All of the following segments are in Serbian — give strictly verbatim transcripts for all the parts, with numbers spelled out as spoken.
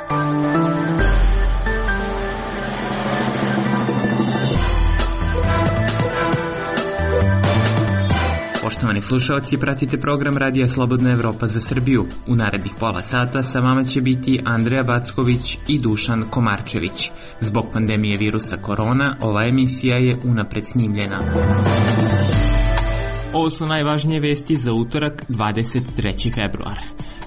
Poštovani slušalci, pratite program Radija Slobodna Evropa za Srbiju. U narednih pola sata sa vama će biti Andreja Backović i Dušan Komarčević. Zbog pandemije virusa korona, ova emisija je unapred snimljena. Ovo su najvažnije vesti za utorak, dvadeset trećeg februara.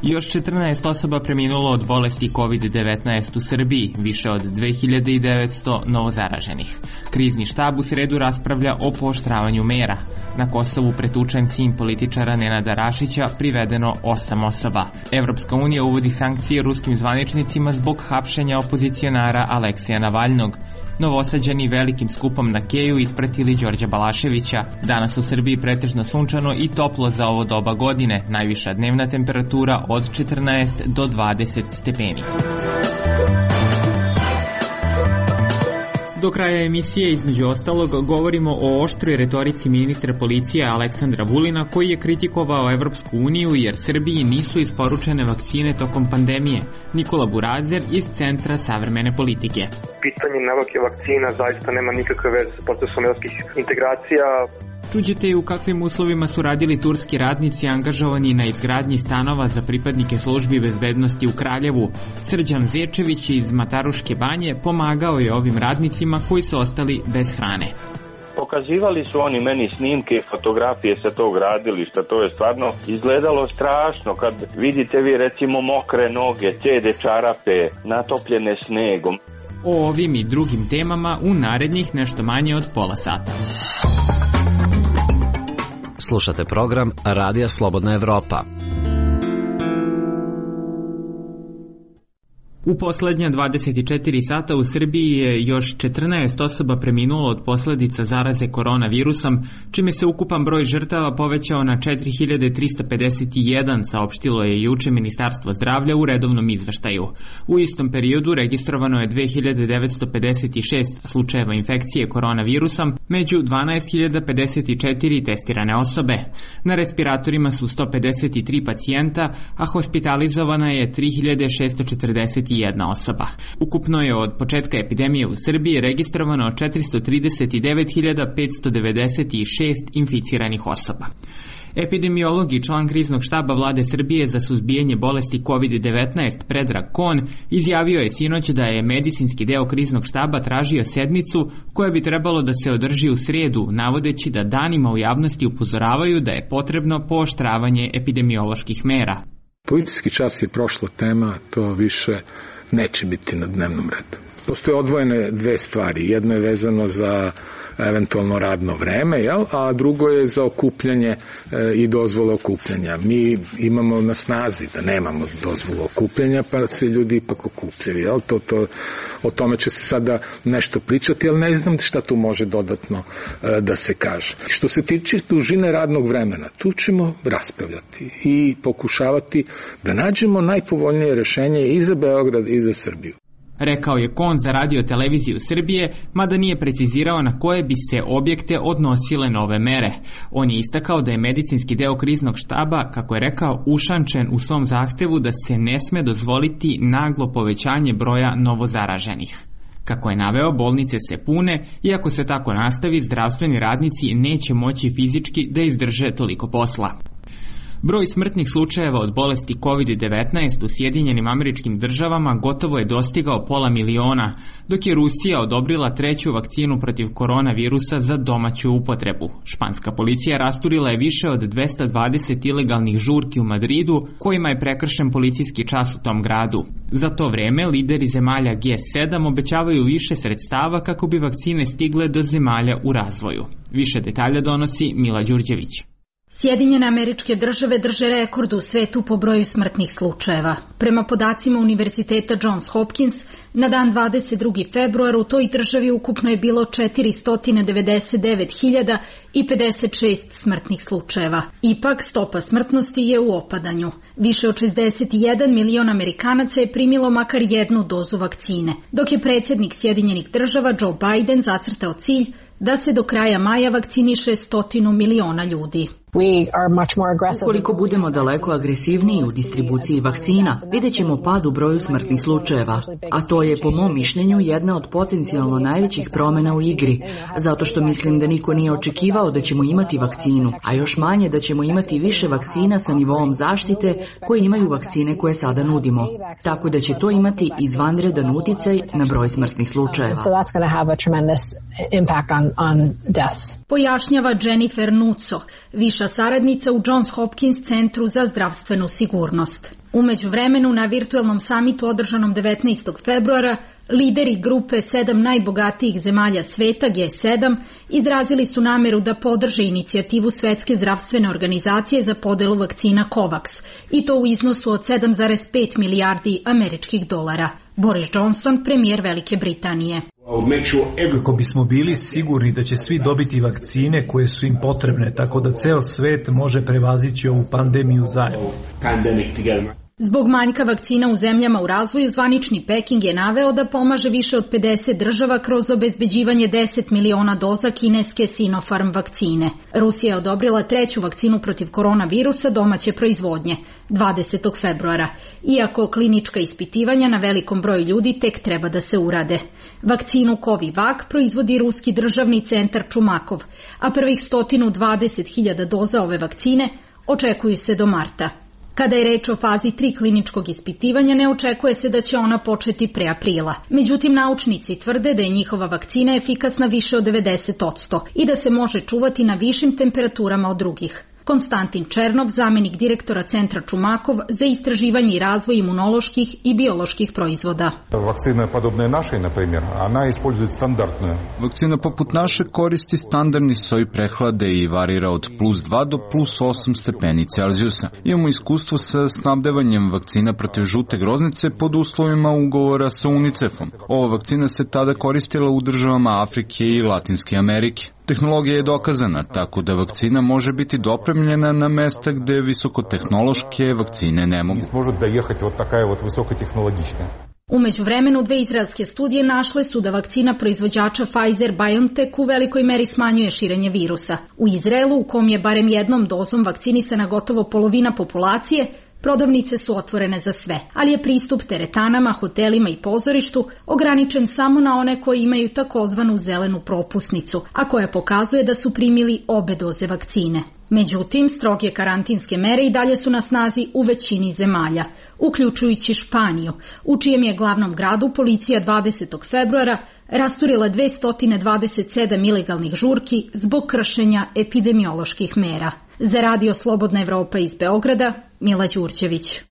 Još četrnaest osoba preminulo od bolesti kovid devetnaest u Srbiji, više od dve hiljade devetsto novozaraženih. Krizni štab u sredu raspravlja o pooštravanju mera. Na Kosovu pretučen sin političara Nenada Rašića, privedeno osam osoba. Evropska unija uvodi sankcije ruskim zvaničnicima zbog hapšenja opozicionara Aleksija Navalnog. Novosađani velikim skupom na Keju ispratili Đorđa Balaševića. Danas u Srbiji pretežno sunčano i toplo za ovo doba godine. Najviša dnevna temperatura od četrnaest do dvadeset stepeni. Do kraja emisije, između ostalog, govorimo o oštroj retorici ministra policije Aleksandra Vulina, koji je kritikovao Evropsku uniju jer Srbiji nisu isporučene vakcine tokom pandemije. Nikola Burazer iz Centra savremene politike. Pitanje nabavke vakcina zaista nema nikakve veze sa procesom evropskih integracija. Čuđete i u kakvim uslovima su radili turski radnici angažovani na izgradnji stanova za pripadnike službi bezbednosti u Kraljevu. Srđan Zečević iz Mataruške banje pomagao je ovim radnicima koji su ostali bez hrane. Pokazivali su oni meni snimke, fotografije sa tog radilišta, to je stvarno izgledalo strašno kad vidite vi recimo mokre noge, ćede čarape, natopljene snegom. O ovim i drugim temama u narednih nešto manje od pola sata. Slušate program Radija Slobodna Evropa. U poslednja dvadeset četiri sata u Srbiji je još četrnaest osoba preminulo od posledica zaraze koronavirusom, čime se ukupan broj žrtava povećao na četiri hiljade trista pedeset jedan, saopštilo je juče Ministarstvo zdravlja u redovnom izveštaju. U istom periodu registrovano je dve hiljade devetsto pedeset šest slučajeva infekcije koronavirusom, među dvanaest hiljada pedeset četiri testirane osobe. Na respiratorima su sto pedeset tri pacijenta, a hospitalizovana je tri hiljade šesto četrdeset jedna osoba. Ukupno je od početka epidemije u Srbiji registrovano četiristo trideset devet hiljada petsto devedeset šest inficiranih osoba. Epidemiolog i član kriznog štaba vlade Srbije za suzbijanje bolesti kovid devetnaest Predrag Kon izjavio je sinoć da je medicinski deo kriznog štaba tražio sednicu koja bi trebalo da se održi u sredu, navodeći da danima u javnosti upozoravaju da je potrebno pooštravanje epidemioloških mera. Policijski čas je prošla tema, to više neće biti na dnevnom redu. Postoje odvojene dve stvari. Jedno je vezano za eventualno radno vreme, jel? A drugo je za okupljanje e, i dozvole okupljanja. Mi imamo na snazi da nemamo dozvolu okupljanja, pa se ljudi ipak okupljaju. Jel? To, to, o tome će se sada nešto pričati, ali ne znam šta tu može dodatno e, da se kaže. Što se tiče dužine radnog vremena, tu ćemo raspravljati i pokušavati da nađemo najpovoljnije rešenje i za Beograd i za Srbiju. Rekao je Kon za Radio televiziju Srbije, mada nije precizirao na koje bi se objekte odnosile nove mere. On je istakao da je medicinski deo kriznog štaba, kako je rekao, ušančen u svom zahtevu da se ne sme dozvoliti naglo povećanje broja novozaraženih. Kako je naveo, bolnice se pune i ako se tako nastavi, zdravstveni radnici neće moći fizički da izdrže toliko posla. Broj smrtnih slučajeva od bolesti kovid devetnaest u Sjedinjenim Američkim Državama gotovo je dostigao pola miliona, dok je Rusija odobrila treću vakcinu protiv koronavirusa za domaću upotrebu. Španska policija rasturila je više od dvesta dvadeset ilegalnih žurki u Madridu, kojima je prekršen policijski čas u tom gradu. Za to vreme lideri zemalja G sedam obećavaju više sredstava kako bi vakcine stigle do zemalja u razvoju. Više detalja donosi Mila Đurđević. Sjedinjene Američke Države drže rekord u svetu po broju smrtnih slučajeva. Prema podacima Univerziteta Johns Hopkins, na dan dvadeset drugog februara u toj državi ukupno je bilo četiristo devedeset devet hiljada pedeset šest smrtnih slučajeva. Ipak, stopa smrtnosti je u opadanju. Više od šezdeset jedan milion Amerikanaca je primilo makar jednu dozu vakcine, dok je predsjednik Sjedinjenih Država Joe Biden zacrtao cilj da se do kraja maja vakciniše stotinu miliona ljudi. Ukoliko budemo daleko agresivniji u distribuciji vakcina, vidjet ćemo pad u broju smrtnih slučajeva, a to je po mom mišljenju jedna od potencijalno najvećih promjena u igri, zato što mislim da niko nije očekivao da ćemo imati vakcinu, a još manje da ćemo imati više vakcina sa nivoom zaštite koje imaju vakcine koje sada nudimo, tako da će to imati izvanredan uticaj na broj smrtnih slučajeva. Pojašnjava Jennifer Nuco, viša saradnica u Johns Hopkins centru za zdravstvenu sigurnost. U međuvremenu na virtuelnom samitu održanom devetnaestog februara lideri grupe sedam najbogatijih zemalja sveta G sedam izrazili su nameru da podrže inicijativu Svetske zdravstvene organizacije za podelu vakcina COVAX i to u iznosu od sedam zarez pet milijardi američkih dolara. Boris Johnson, premijer Velike Britanije. Kako bismo bili sigurni da će svi dobiti vakcine koje su im potrebne, tako da ceo svet može prevazići ovu pandemiju zajedno. Zbog manjka vakcina u zemljama u razvoju, zvanični Peking je naveo da pomaže više od pedeset država kroz obezbeđivanje deset miliona doza kineske Sinopharm vakcine. Rusija je odobrila treću vakcinu protiv koronavirusa domaće proizvodnje, dvadesetog februara, iako klinička ispitivanja na velikom broju ljudi tek treba da se urade. Vakcinu Covivac proizvodi ruski državni centar Čumakov, a prvih sto dvadeset hiljada doza ove vakcine očekuju se do marta. Kada je reč o fazi tri kliničkog ispitivanja, ne očekuje se da će ona početi pre aprila. Međutim, naučnici tvrde da je njihova vakcina efikasna više od devedeset posto i da se može čuvati na višim temperaturama od drugih. Konstantin Černov, zamenik direktora centra Čumakov za istraživanje i razvoj imunoloških i bioloških proizvoda. Vakcina podobna našoj, na primjer, ona ispoljuje standardnu. Vakcina poput naše koristi standardni soj prehlade i varira od plus dva do plus osam stepeni Celzijusa. Imamo iskustvo sa snabdevanjem vakcina protiv žute groznice pod uslovima ugovora sa UNICEF-om. Ova vakcina se tada koristila u državama Afrike i Latinske Amerike. Tehnologija je dokazana, tako da vakcina može biti dopremljena na mesta gde visokotehnološke vakcine ne mogu. U međuvremenu dve izraelske studije našle su da vakcina proizvođača Pfizer-BioNTech u velikoj meri smanjuje širenje virusa. U Izraelu, u kom je barem jednom dozom vakcinisana gotovo polovina populacije, prodavnice su otvorene za sve, ali je pristup teretanama, hotelima i pozorištu ograničen samo na one koji imaju takozvanu zelenu propusnicu, a koja pokazuje da su primili obe doze vakcine. Međutim, stroge karantinske mere i dalje su na snazi u većini zemalja, uključujući Španiju, u čijem je glavnom gradu policija dvadesetog februara rasturila dvesta dvadeset sedam ilegalnih žurki zbog kršenja epidemioloških mera. Za Radio Slobodna Evropa iz Beograda, Mila Đurđević.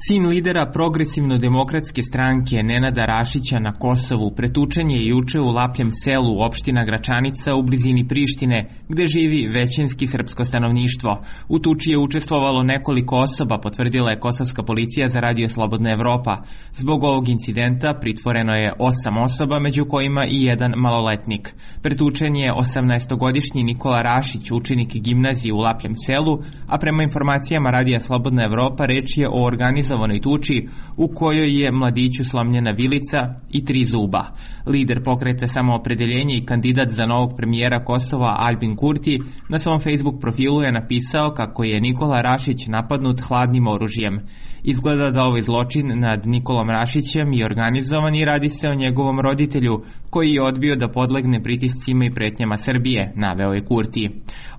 Sin lidera Progresivno-demokratske stranke Nenada Rašića na Kosovu pretučen je juče u Lapljem selu, opština Gračanica u blizini Prištine, gde živi većinski srpsko stanovništvo. U tuči je učestvovalo nekoliko osoba, potvrdila je kosovska policija za Radio Slobodna Evropa. Zbog ovog incidenta pritvoreno je osam osoba, među kojima i jedan maloletnik. Pretučen je osamnaestogodišnji Nikola Rašić, učenik gimnazije u Lapljem selu, a prema informacijama Radija Slobodna Evropa reč je o organizovanoj tuči u kojoj je mladiću slomljena vilica i tri zuba. Lider pokreta Samoopredeljenje i kandidat za novog premijera Kosova Albin Kurti na svom Facebook profilu je napisao kako je Nikola Rašić napadnut hladnim oružjem. Izgleda da ovaj zločin nad Nikolom Rašićem je organizovan i radi se o njegovom roditelju koji je odbio da podlegne pritiscima i pretnjama Srbije, naveo je Kurti.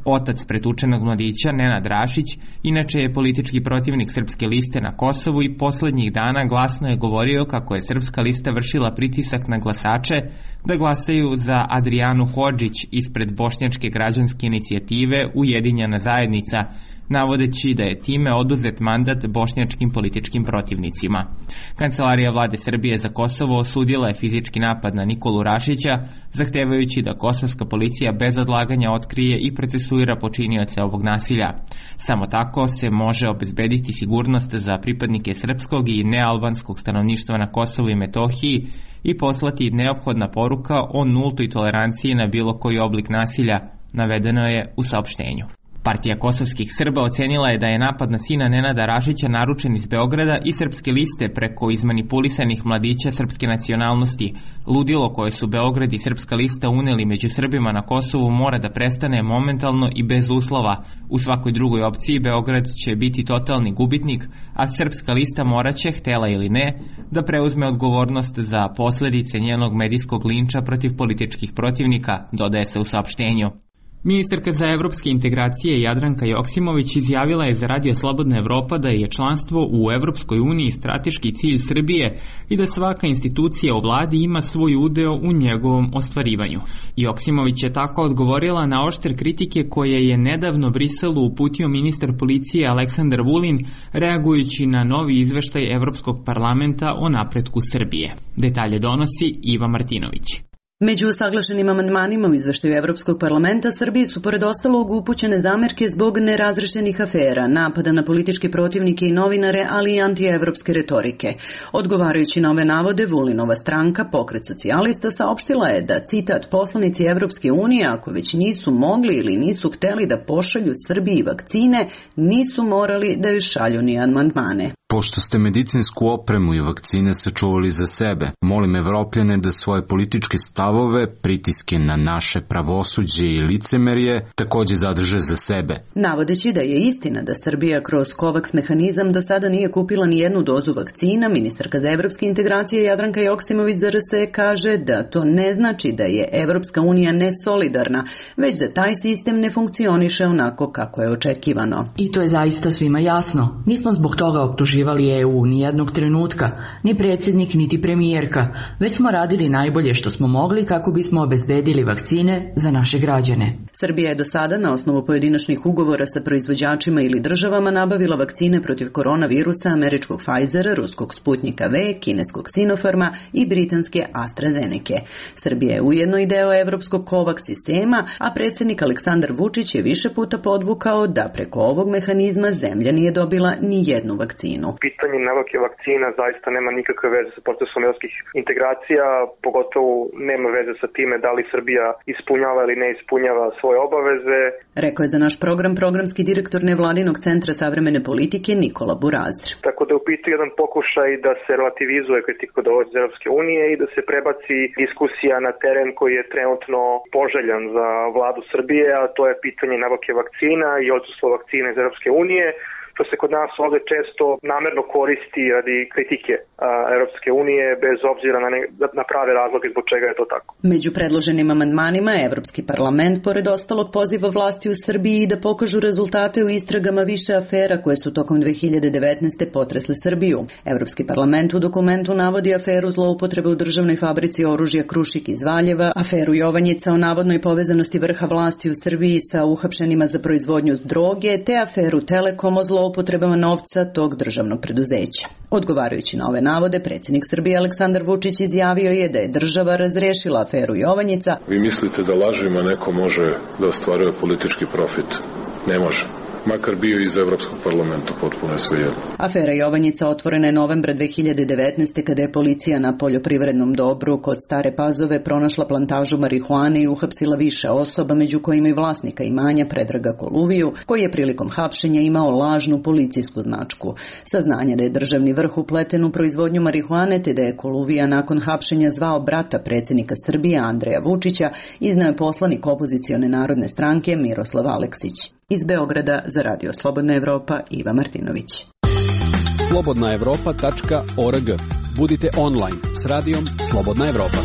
Otac pretučenog mladića, Nenad Rašić, inače je politički protivnik Srpske liste na Kosovu i poslednjih dana glasno je govorio kako je Srpska lista vršila pritisak na glasače da glasaju za Adrijanu Hodžić ispred Bošnjačke građanske inicijative Ujedinjena zajednica, navodeći da je time oduzet mandat bošnjačkim političkim protivnicima. Kancelarija vlade Srbije za Kosovo osudila je fizički napad na Nikolu Rašića, zahtevajući da kosovska policija bez odlaganja otkrije i procesuira počinioce ovog nasilja. Samo tako se može obezbediti sigurnost za pripadnike srpskog i nealbanskog stanovništva na Kosovu i Metohiji i poslati neophodna poruka o nultoj toleranciji na bilo koji oblik nasilja, navedeno je u saopštenju. Partija kosovskih Srba ocenila je da je napad na sina Nenada Rašića naručen iz Beograda i Srpske liste preko izmanipulisanih mladića srpske nacionalnosti. Ludilo koje su Beograd i Srpska lista uneli među Srbima na Kosovu mora da prestane momentalno i bez uslova. U svakoj drugoj opciji Beograd će biti totalni gubitnik, a Srpska lista moraće, htela ili ne, da preuzme odgovornost za posledice njenog medijskog linča protiv političkih protivnika, dodaje se u saopštenju. Ministarka za evropske integracije Jadranka Joksimović izjavila je za Radio Slobodna Evropa da je članstvo u Evropskoj uniji strateški cilj Srbije i da svaka institucija u vladi ima svoj udeo u njegovom ostvarivanju. Joksimović je tako odgovorila na oštre kritike koje je nedavno Briselu uputio ministar policije Aleksandar Vulin, reagujući na novi izveštaj Evropskog parlamenta o napretku Srbije. Detalje donosi Iva Martinović. Među usaglašenim amandmanima u izveštaju Evropskog parlamenta Srbiji su pored ostalog upućene zamerke zbog nerazrešenih afera, napada na političke protivnike i novinare, ali i antievropske retorike. Odgovarajući na ove navode, Vulinova stranka, Pokret socijalista, saopštila je da, citat, poslanici Evropske unije, ako već nisu mogli ili nisu hteli da pošalju Srbiji vakcine, nisu morali da joj šalju ni amandmane. Pošto ste medicinsku opremu i vakcine sačuvali za sebe, molim Evropljane da svoje političke stavove, pritiske na naše pravosuđe i licemerje takođe zadrže za sebe. Navodeći da je istina da Srbija kroz COVAX mehanizam do sada nije kupila ni jednu dozu vakcina, ministarka za evropske integracije Jadranka Joksimović za R S kaže da to ne znači da je Evropska unija nesolidarna, već da taj sistem ne funkcioniše onako kako je očekivano. I to je zaista svima jasno. Nismo zbog toga optužili E U ni jednog trenutka, ni predsjednik, niti premijerka, već smo radili najbolje što smo mogli kako bismo obezbedili vakcine za naše građane. Srbija je do sada na osnovu pojedinačnih ugovora sa proizvođačima ili državama nabavila vakcine protiv koronavirusa američkog Pfizera, ruskog Sputnika V, kineskog Sinopharma i britanske AstraZeneca. Srbija je ujedno i deo evropskog COVAX sistema, a predsjednik Aleksandar Vučić je više puta podvukao da preko ovog mehanizma zemlja nije dobila ni jednu vakcinu. Pitanje nabavke vakcina zaista nema nikakve veze sa procesom evropskih integracija, pogotovo nema veze sa time da li Srbija ispunjava ili ne ispunjava svoje obaveze. Rekao je za naš program programski direktor nevladinog centra savremene politike Nikola Burazir. Tako da je u pitanju jedan pokušaj da se relativizuje kritika dolazi iz Evropske unije i da se prebaci diskusija na teren koji je trenutno poželjan za vladu Srbije, a to je pitanje nabavke vakcina i odsustvo vakcina iz Evropske unije, što se kod nas ovde često namerno koristi radi kritike a, Evropske unije bez obzira na, ne, na prave razloge zbog čega je to tako. Među predloženim amandmanima Evropski parlament pored ostalog poziva vlasti u Srbiji da pokažu rezultate u istragama više afera koje su tokom dve hiljade devetnaeste. potresle Srbiju. Evropski parlament u dokumentu navodi aferu zloupotrebe u državnoj fabrici oružja Krušik iz Valjeva, aferu Jovanjica o navodnoj povezanosti vrha vlasti u Srbiji sa uhapšenima za proizvodnju droge, te aferu Telekom o zloupotrebama novca tog državnog preduzeća. Odgovarajući na ove navode, predsjednik Srbije Aleksandar Vučić izjavio je da je država razrešila aferu Jovanjica. Vi mislite da lažima neko može da ostvaruje politički profit? Ne može. Makar bio iz Evropskog parlamenta, potpuno je svejedno. Afera Jovanjica otvorena je novembra dve hiljade devetnaeste. kada je policija na poljoprivrednom dobru kod Stare Pazove pronašla plantažu marihuane i uhapsila više osoba, među kojima i vlasnika imanja Predraga Koluviju, koji je prilikom hapšenja imao lažnu policijsku značku. Saznanje da je državni vrh upleten u proizvodnju marihuane te da je Koluvija nakon hapšenja zvao brata predsjednika Srbije Andreja Vučića, izneo je poslanik opozicione narodne stranke Miroslav Aleksić. Iz Beograda za Radio Slobodna Evropa Iva Martinović. slobodna evropa tačka org. Budite online s radijom Slobodna Evropa.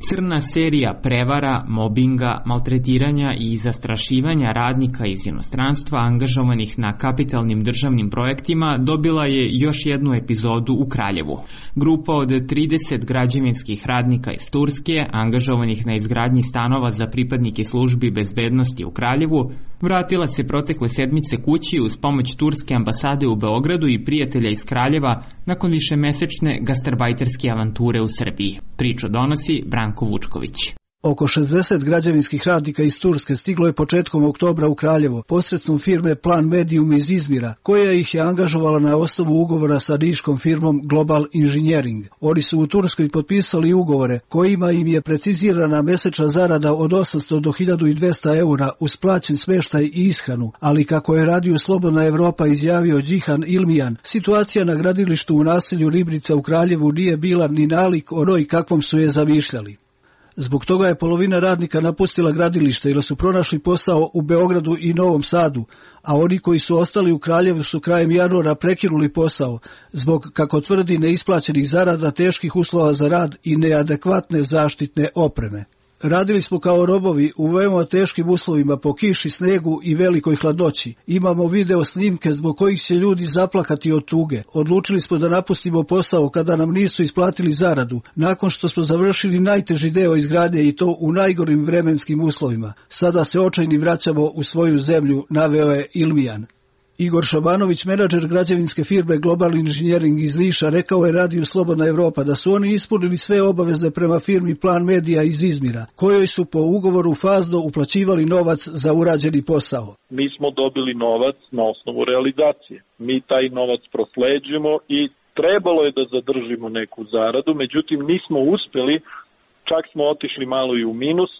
Crna serija prevara, mobinga, maltretiranja i zastrašivanja radnika iz inostranstva angažovanih na kapitalnim državnim projektima dobila je još jednu epizodu u Kraljevu. Grupa od trideset građevinskih radnika iz Turske, angažovanih na izgradnji stanova za pripadnike službi bezbednosti u Kraljevu, vratila se protekle sedmice kući uz pomoć turske ambasade u Beogradu i prijatelja iz Kraljeva nakon višemesečne gastarbajterske avanture u Srbiji. Priču donosi Branko Vučković. Oko šezdeset građevinskih radnika iz Turske stiglo je početkom oktobra u Kraljevo posredstvom firme Plan Medium iz Izmira, koja ih je angažovala na osnovu ugovora sa niškom firmom Global Engineering. Oni su u Turskoj potpisali ugovore kojima im je precizirana mesečna zarada od osamsto do hiljadu dvesta eura uz plaćen smeštaj i ishranu, ali kako je Radio Slobodna Evropa izjavio Džihan Ilmijan, situacija na gradilištu u naselju Ribnica u Kraljevu nije bila ni nalik onoj kakvom su je zamišljali. Zbog toga je polovina radnika napustila gradilište ili su pronašli posao u Beogradu i Novom Sadu, a oni koji su ostali u Kraljevu su krajem januara prekinuli posao zbog, kako tvrdi, neisplaćenih zarada, teških uslova za rad i neadekvatne zaštitne opreme. Radili smo kao robovi u veoma teškim uslovima po kiši, snegu i velikoj hladnoći. Imamo video snimke zbog kojih će ljudi zaplakati od tuge. Odlučili smo da napustimo posao kada nam nisu isplatili zaradu, nakon što smo završili najteži deo izgradnje i to u najgorim vremenskim uslovima. Sada se očajni vraćamo u svoju zemlju, naveo je Ilmijan. Igor Šabanović, menadžer građevinske firme Global Engineering iz Niša, rekao je Radiju Slobodna Evropa da su oni ispunili sve obaveze prema firmi Plan Media iz Izmira, kojoj su po ugovoru fazno uplaćivali novac za urađeni posao. Mi smo dobili novac na osnovu realizacije. Mi taj novac prosleđujemo i trebalo je da zadržimo neku zaradu, međutim nismo uspeli, čak smo otišli malo i u minus,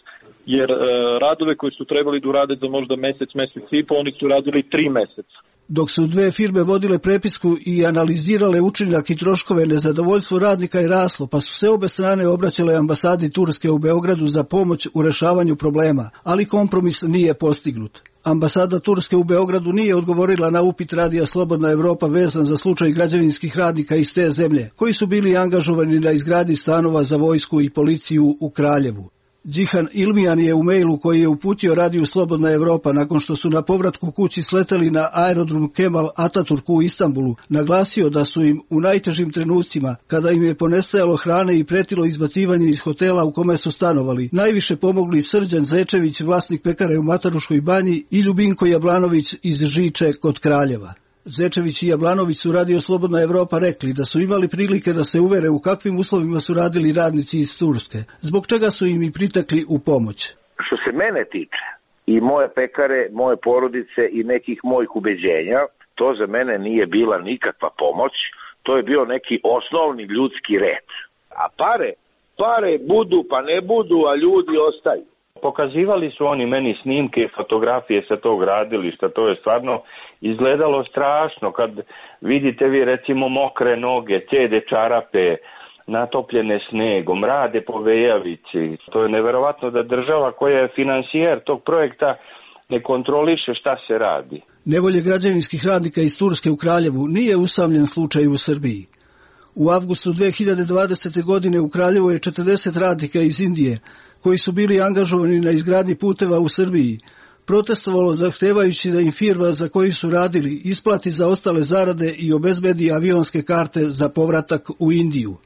jer e, radove koji su trebali da urade za možda mesec, mesec i po, oni su radili tri meseca. Dok su dve firme vodile prepisku i analizirale učinak i troškove, nezadovoljstvo radnika je raslo, pa su se obe strane obraćale ambasadi Turske u Beogradu za pomoć u rešavanju problema, ali kompromis nije postignut. Ambasada Turske u Beogradu nije odgovorila na upit Radija Slobodna Evropa vezan za slučaj građevinskih radnika iz te zemlje, koji su bili angažovani na izgradnji stanova za vojsku i policiju u Kraljevu. Džihan Ilmijan je u mailu koji je uputio Radiju Slobodna Evropa nakon što su na povratku kući sleteli na aerodrom Kemal Ataturk u Istanbulu, naglasio da su im u najtežim trenucima, kada im je ponestajalo hrane i pretilo izbacivanje iz hotela u kome su stanovali, najviše pomogli Srđan Zečević, vlasnik pekare u Mataruškoj banji, i Ljubinko Jablanović iz Žiče kod Kraljeva. Zečević i Jablanović su Radio Slobodna Evropa rekli da su imali prilike da se uvere u kakvim uslovima su radili radnici iz Turske, zbog čega su im i pritekli u pomoć. Što se mene tiče i moje pekare, moje porodice i nekih mojih ubeđenja, to za mene nije bila nikakva pomoć, to je bio neki osnovni ljudski red. A pare, pare budu pa ne budu, a ljudi ostaju. Pokazivali su oni meni snimke i fotografije sa tog gradilišta, to je stvarno izgledalo strašno kad vidite vi recimo mokre noge, cede čarape, natopljene snegom, rade po vejavici. To je neverovatno da država koja je finansijer tog projekta ne kontroliše šta se radi. Nevolje građevinskih radnika iz Turske u Kraljevu nije usamljen slučaj u Srbiji. U avgustu dve hiljade dvadesete. godine u Kraljevu je četrdeset radnika iz Indije, koji su bili angažovani na izgradnji puteva u Srbiji, protestovalo zahtevajući da im firma za koju su radili isplati za ostale zarade i obezbedi avionske karte za povratak u Indiju.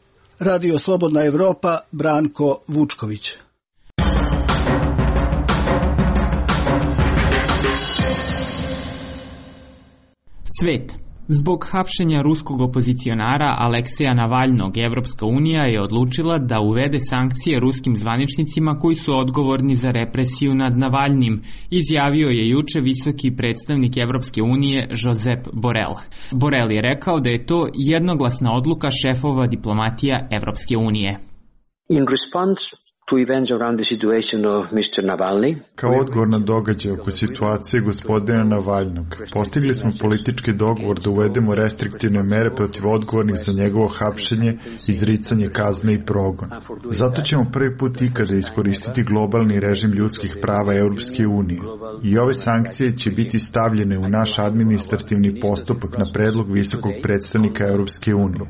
Radio Slobodna Evropa, Branko Vučković. Svet. Zbog hapšenja ruskog opozicionara Alekseja Navalnog, Evropska unija je odlučila da uvede sankcije ruskim zvaničnicima koji su odgovorni za represiju nad Navalnim, izjavio je juče visoki predstavnik Evropske unije Josep Borrell. Borrell je rekao da je to jednoglasna odluka šefova diplomatija Evropske unije. In response to events around the situation of mister Navalny. Kao odgovor na događaj oko situacije gospodina Navalnog, postigli smo politički dogovor da uvedemo restriktivne mere protiv odgovornih za njegovo hapšenje, izricanje kazne i progon. Zato ćemo prvi put ikada iskoristiti globalni režim ljudskih prava Europske unije. I ove sankcije će biti stavljene u naš administrativni postupak na predlog visokog predstavnika Europske unije.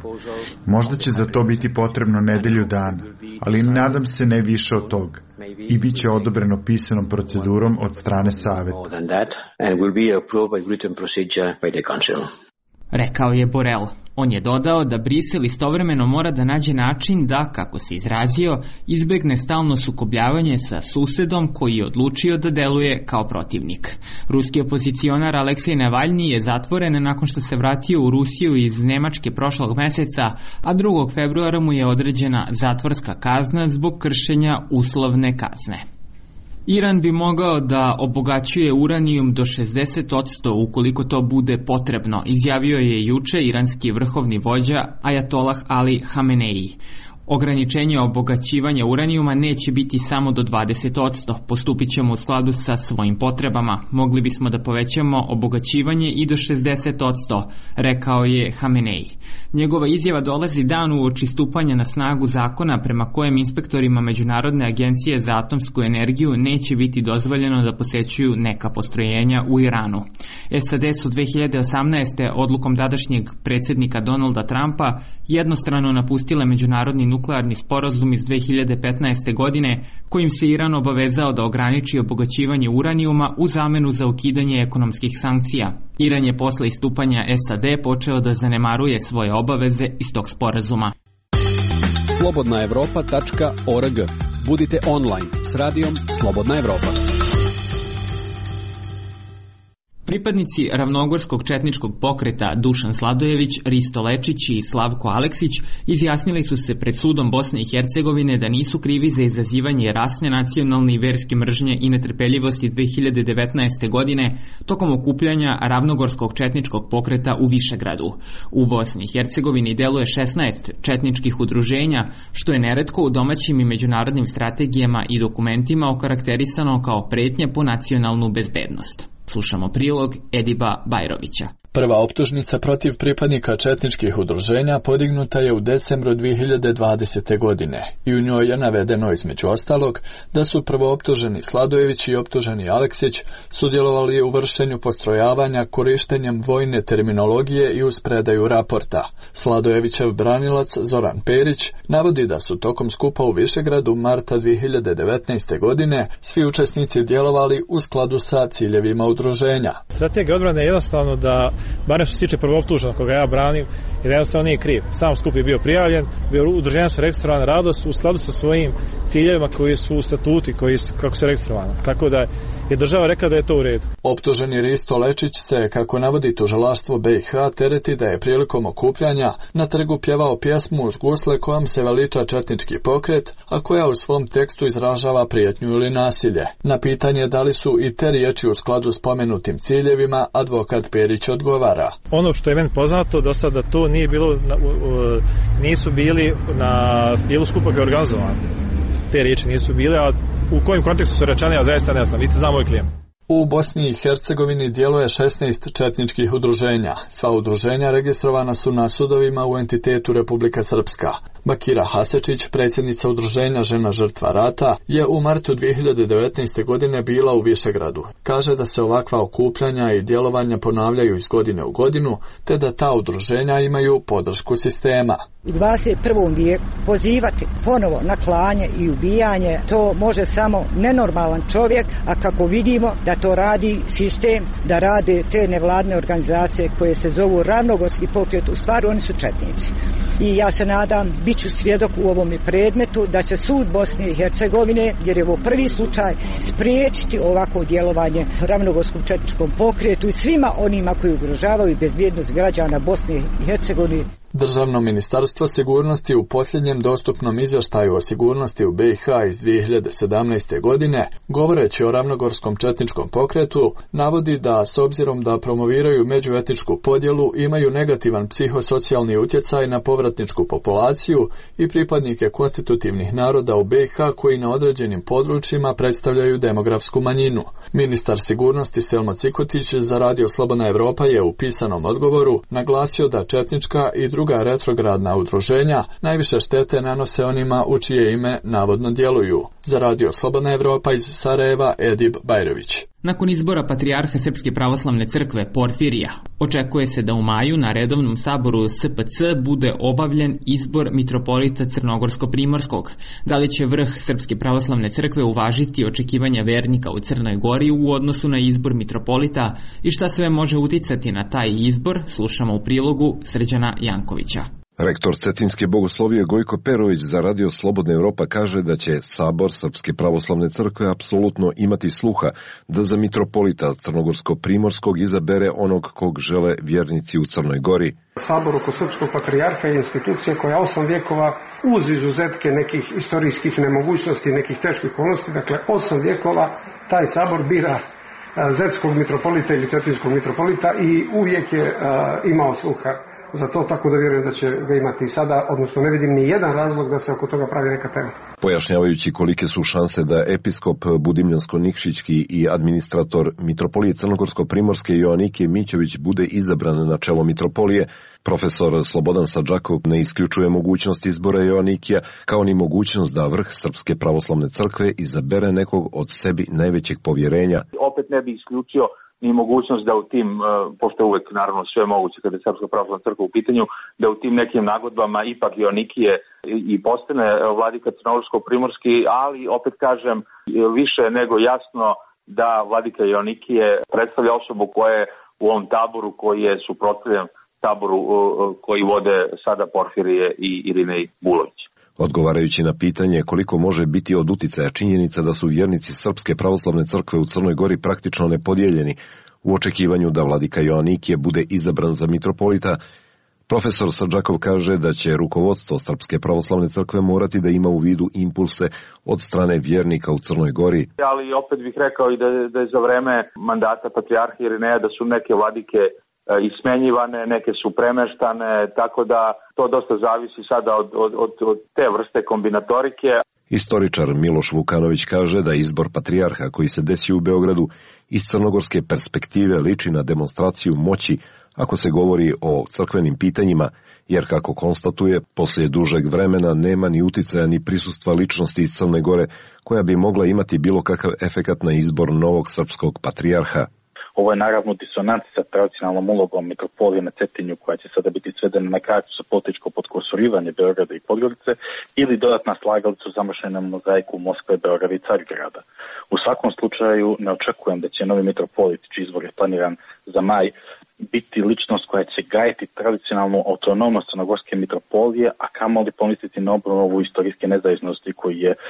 Možda će za to biti potrebno nedelju dana, ali nadam se ne više od toga i bit će odobreno pisanom procedurom od strane Saveta. Rekao je Borrell. On je dodao da Brisel istovremeno mora da nađe način da, kako se izrazio, izbegne stalno sukobljavanje sa susedom koji je odlučio da deluje kao protivnik. Ruski opozicionar Aleksej Navalni je zatvoren nakon što se vratio u Rusiju iz Nemačke prošlog meseca, a drugog februara mu je određena zatvorska kazna zbog kršenja uslovne kazne. Iran bi mogao da obogaćuje uranijum do šezdeset posto ukoliko to bude potrebno, izjavio je juče iranski vrhovni vođa Ajatolah Ali Hamenei. Ograničenje obogaćivanja uranijuma neće biti samo do dvadeset posto, postupit ćemo u skladu sa svojim potrebama. Mogli bismo da povećamo obogaćivanje i do šezdeset posto, rekao je Hamenei. Njegova izjava dolazi dan uoči stupanja na snagu zakona prema kojem inspektorima Međunarodne agencije za atomsku energiju neće biti dozvoljeno da posećuju neka postrojenja u Iranu. S A D su dve hiljade osamnaeste. odlukom tadašnjeg predsjednika Donalda Trumpa jednostrano napustile međunarodni nuklearni sporazum iz dve hiljade petnaeste. godine kojim se Iran obavezao da ograniči obogaćivanje uranijuma u zamenu za ukidanje ekonomskih sankcija. Iran je posle istupanja S A D počeo da zanemaruje svoje obaveze iz tog sporazuma. slobodna evropa tačka org. Budite online s radijom Slobodna Evropa. Pripadnici ravnogorskog četničkog pokreta Dušan Sladojević, Risto Lečić i Slavko Aleksić izjasnili su se pred sudom Bosne i Hercegovine da nisu krivi za izazivanje rasne, nacionalne i verske mržnje i netrpeljivosti dve hiljade devetnaeste. godine tokom okupljanja ravnogorskog četničkog pokreta u Višegradu. U Bosni i Hercegovini deluje šesnaest četničkih udruženja, što je neretko u domaćim i međunarodnim strategijama i dokumentima okarakterisano kao pretnja po nacionalnu bezbednost. Slušamo prilog Ediba Bajrovića. Prva optužnica protiv pripadnika četničkih udruženja podignuta je u decembru dve hiljade dvadesete. godine i u njoj je navedeno između ostalog da su prvooptuženi Sladojević i optuženi Aleksić sudjelovali u vršenju postrojavanja korištenjem vojne terminologije i uz predaju raporta. Sladojevićev branilac Zoran Perić navodi da su tokom skupa u Višegradu marta dve hiljade devetnaeste. godine svi učesnici djelovali u skladu sa ciljevima udruženja. Strategija odbrane je jednostavno da, barem što se tiče prvooptuženog koga ja branim, jer jednostavno nije kriv. Sam skup je bio prijavljen, bio udruženja su registrovane radost u skladu sa svojim ciljevima koji su u statuti, koji su, kako se registrovane. Tako da je država rekla da je to u redu. Optuženi Risto Lečić se, kako navodi tužilaštvo B i H, tereti da je prilikom okupljanja na trgu pjevao pjesmu uz gusle kojom se veliča četnički pokret, a koja u svom tekstu izražava prijetnju ili nasilje. Na pitanje da li su i te riječi u skladu s pomenutim ciljevima, advokat Perić odgovara. Ono što je meni poznato do sada da to nije bilo, nisu bili na dijelu skupa koji je organizovan. Te riječi nisu bile, a u kojem kontekstu su rečene, ja zaista ne znam, niti znam moj klijent. U Bosni i Hercegovini djeluje šesnaest četničkih udruženja. Sva udruženja registrovana su na sudovima u entitetu Republika Srpska. Bakira Hasečić, predsjednica udruženja Žena žrtva rata, je u martu dve hiljade devetnaeste. godine bila u Višegradu. Kaže da se ovakva okupljanja i djelovanja ponavljaju iz godine u godinu, te da ta udruženja imaju podršku sistema. U dvadeset prvom vijeku pozivati ponovo na klanje i ubijanje, to može samo nenormalan čovjek, a kako vidimo da to radi sistem, da rade te nevladne organizacije koje se zovu ravnogorski pokret, u stvari oni su četnici. I ja se nadam, bit ću svjedok u ovom predmetu, da će sud Bosne i Hercegovine, jer je ovo prvi slučaj, spriječiti ovako djelovanje ravnogorskom četničkom pokretu i svima onima koji ugrožavaju bezbjednost građana Bosne i Hercegovine. Državno ministarstvo sigurnosti u posljednjem dostupnom izvještaju o sigurnosti u B i H iz dve hiljade sedamnaeste. godine, govoreći o ravnogorskom četničkom pokretu, navodi da, s obzirom da promoviraju međuetničku podjelu, imaju negativan psihosocijalni utjecaj na povratničku populaciju i pripadnike konstitutivnih naroda u B i H koji na određenim područjima predstavljaju demografsku manjinu. Ministar sigurnosti Selmo Cikotić za Radio Slobodna Evropa je u pisanom odgovoru naglasio da četnička i druga retrogradna udruženja najviše štete nanose onima u čije ime navodno djeluju. Za Radio Slobodna Evropa iz Sarajeva, Edib Bajrović. Nakon izbora patrijarha Srpske pravoslavne crkve Porfirija, očekuje se da u maju na redovnom saboru S P C bude obavljen izbor mitropolita Crnogorsko-Primorskog. Da li će vrh Srpske pravoslavne crkve uvažiti očekivanja vernika u Crnoj Gori u odnosu na izbor mitropolita i šta sve može uticati na taj izbor, slušamo u prilogu Srđana Jankovića. Rektor Cetinske bogoslovije Gojko Perović za Radio Slobodna Evropa kaže da će Sabor Srpske pravoslavne crkve apsolutno imati sluha da za mitropolita Crnogorsko-Primorskog izabere onog kog žele vjernici u Crnoj Gori. Sabor oko Srpskog patrijarha je institucija koja osam vjekova uz izuzetke nekih istorijskih nemogućnosti, nekih teških okolnosti, dakle osam vjekova taj Sabor bira Zetskog mitropolita ili Cetinskog mitropolita i uvijek je a, imao sluha za to, tako da vjerujem da će ga imati i sada, odnosno ne vidim ni jedan razlog da se oko toga pravi neka tema. Pojašnjavajući kolike su šanse da episkop Budimljansko-Nikšićki i administrator mitropolije Crnogorsko-Primorske Joanikije Mićević bude izabran na čelo mitropolije, profesor Slobodan Sadžakov ne isključuje mogućnost izbora Joanikija, kao ni mogućnost da vrh Srpske pravoslavne crkve izabere nekog od sebi najvećeg povjerenja. Opet ne bi isključio ni mogućnost da u tim, pošto je uvek naravno sve moguće kada je Srpska pravoslavna crkva u pitanju, da u tim nekim nagodbama ipak Joanikije i postane vladika Crnogorsko-Primorski, ali opet kažem više nego jasno da vladika Joanikije predstavlja osobu koja je u ovom taboru koji je suprotstavljen taboru koji vode sada Porfirije i Irinej Bulović. Odgovarajući na pitanje koliko može biti od uticaja činjenica da su vjernici Srpske pravoslavne crkve u Crnoj Gori praktično nepodijeljeni u očekivanju da vladika Joanikije bude izabran za mitropolita, profesor Sadžakov kaže da će rukovodstvo Srpske pravoslavne crkve morati da ima u vidu impulse od strane vjernika u Crnoj Gori. Ali opet bih rekao i da, da je za vreme mandata patrijarha Irineja da su neke vladike ismenjivane, neke su premeštane, tako da to dosta zavisi sada od, od, od, od te vrste kombinatorike. Istoričar Miloš Vukanović kaže da izbor patrijarha koji se desio u Beogradu iz crnogorske perspektive liči na demonstraciju moći ako se govori o crkvenim pitanjima, jer kako konstatuje, poslije dužeg vremena nema ni uticaja ni prisustva ličnosti iz Crne Gore koja bi mogla imati bilo kakav efekat na izbor novog srpskog patrijarha. Ovo je naravno disonans sa tradicionalnom ulogom mitropolije na Cetinju koja će sada biti svedena na kraju sa političko podkosurivanje Beograda i Podgorice ili dodatna slagalica u zamašenom mozaiku Moskve, Beograda i Carigrada. U svakom slučaju ne očekujem da će novi mitropolit, čiji izbor je planiran za maj, biti ličnost koja će gajiti tradicionalnu autonomnost crnogorske mitropolije, a kamoli pomisliti na obnovu istorijske nezavisnosti koju je uh,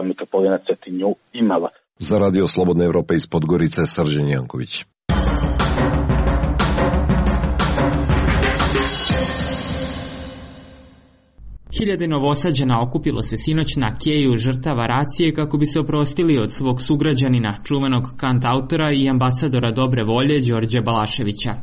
mitropolija na Cetinju imala. Za Radio Slobodna Evropa iz Podgorice, Srđan Janković. Hiljade Novosađana okupilo se sinoć na keju žrtava racije kako bi se oprostili od svog sugrađanina, čuvenog kantautora i ambasadora dobre volje Đorđe Balaševića.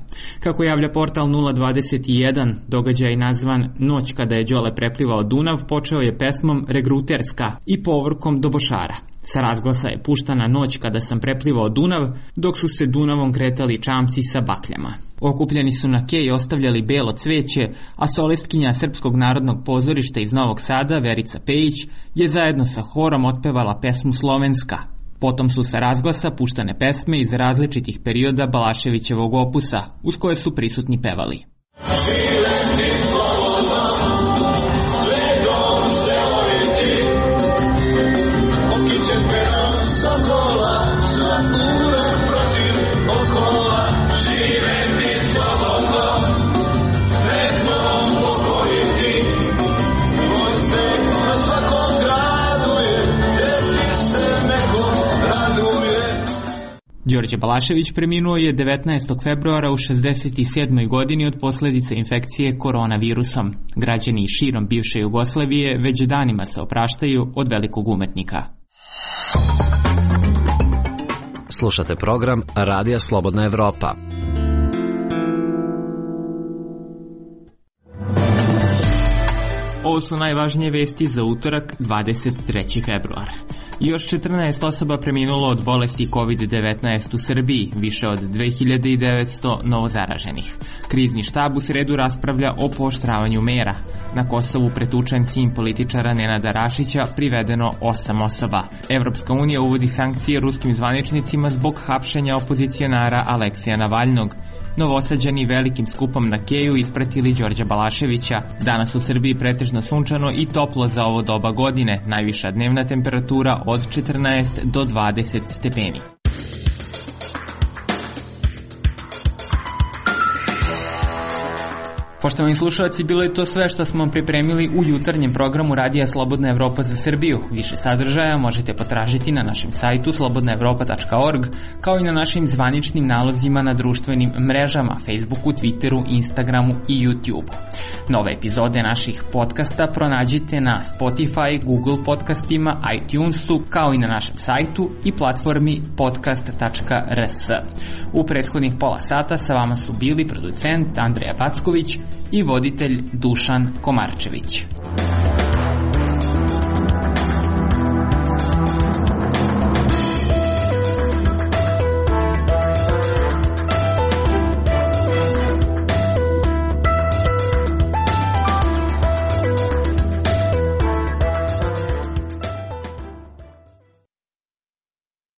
Kako javlja portal nula dvadeset jedan, događaj nazvan Noć kada je Đole preplivao Dunav počeo je pesmom Regruterska i povorkom Dobošara. Sa razglasa je puštana Noć kada sam preplivao Dunav, dok su se Dunavom kretali čamci sa bakljama. Okupljeni su na keji ostavljali belo cveće, a solistkinja Srpskog narodnog pozorišta iz Novog Sada, Verica Pejić, je zajedno sa horom otpevala pesmu Slovenska. Potom su sa razglasa puštane pesme iz različitih perioda Balaševićevog opusa, uz koje su prisutni pevali. Đorđe Balašević preminuo je devetnaestog februara u šezdeset sedmoj godini od posljedica infekcije koronavirusom. Građani širom bivše Jugoslavije već danima se opraštaju od velikog umetnika. Slušate program Radija Slobodna Evropa. Ovo su najvažnije vesti za utorak, dvadeset treći februar. Još četrnaest osoba preminulo od bolesti kovid devetnaest u Srbiji, više od dve hiljade devetsto novozaraženih. Krizni štab u sredu raspravlja o pooštravanju mera. Na Kosovu pretučen sin političara Nenada Rašića, privedeno osam osoba. Evropska unija uvodi sankcije ruskim zvaničnicima zbog hapšenja opozicionara Aleksija Navalnog. Novosađani velikim skupom na Keju ispratili Đorđa Balaševića. Danas u Srbiji pretežno sunčano i toplo za ovo doba godine, najviša dnevna temperatura od četrnaest do dvadeset stepeni. Poštovani slušalci, bilo je to sve što smo pripremili u jutarnjem programu Radija Slobodna Evropa za Srbiju. Više sadržaja možete potražiti na našem sajtu slobodna evropa tačka org, kao i na našim zvaničnim nalozima na društvenim mrežama, Facebooku, Twitteru, Instagramu i YouTubeu. Nove epizode naših podcasta pronađite na Spotify, Google podcastima, iTunesu, kao i na našem sajtu i platformi podcast tačka r s. U prethodnih pola sata sa vama su bili producent Andreja Packović i voditelj Dušan Komarčević.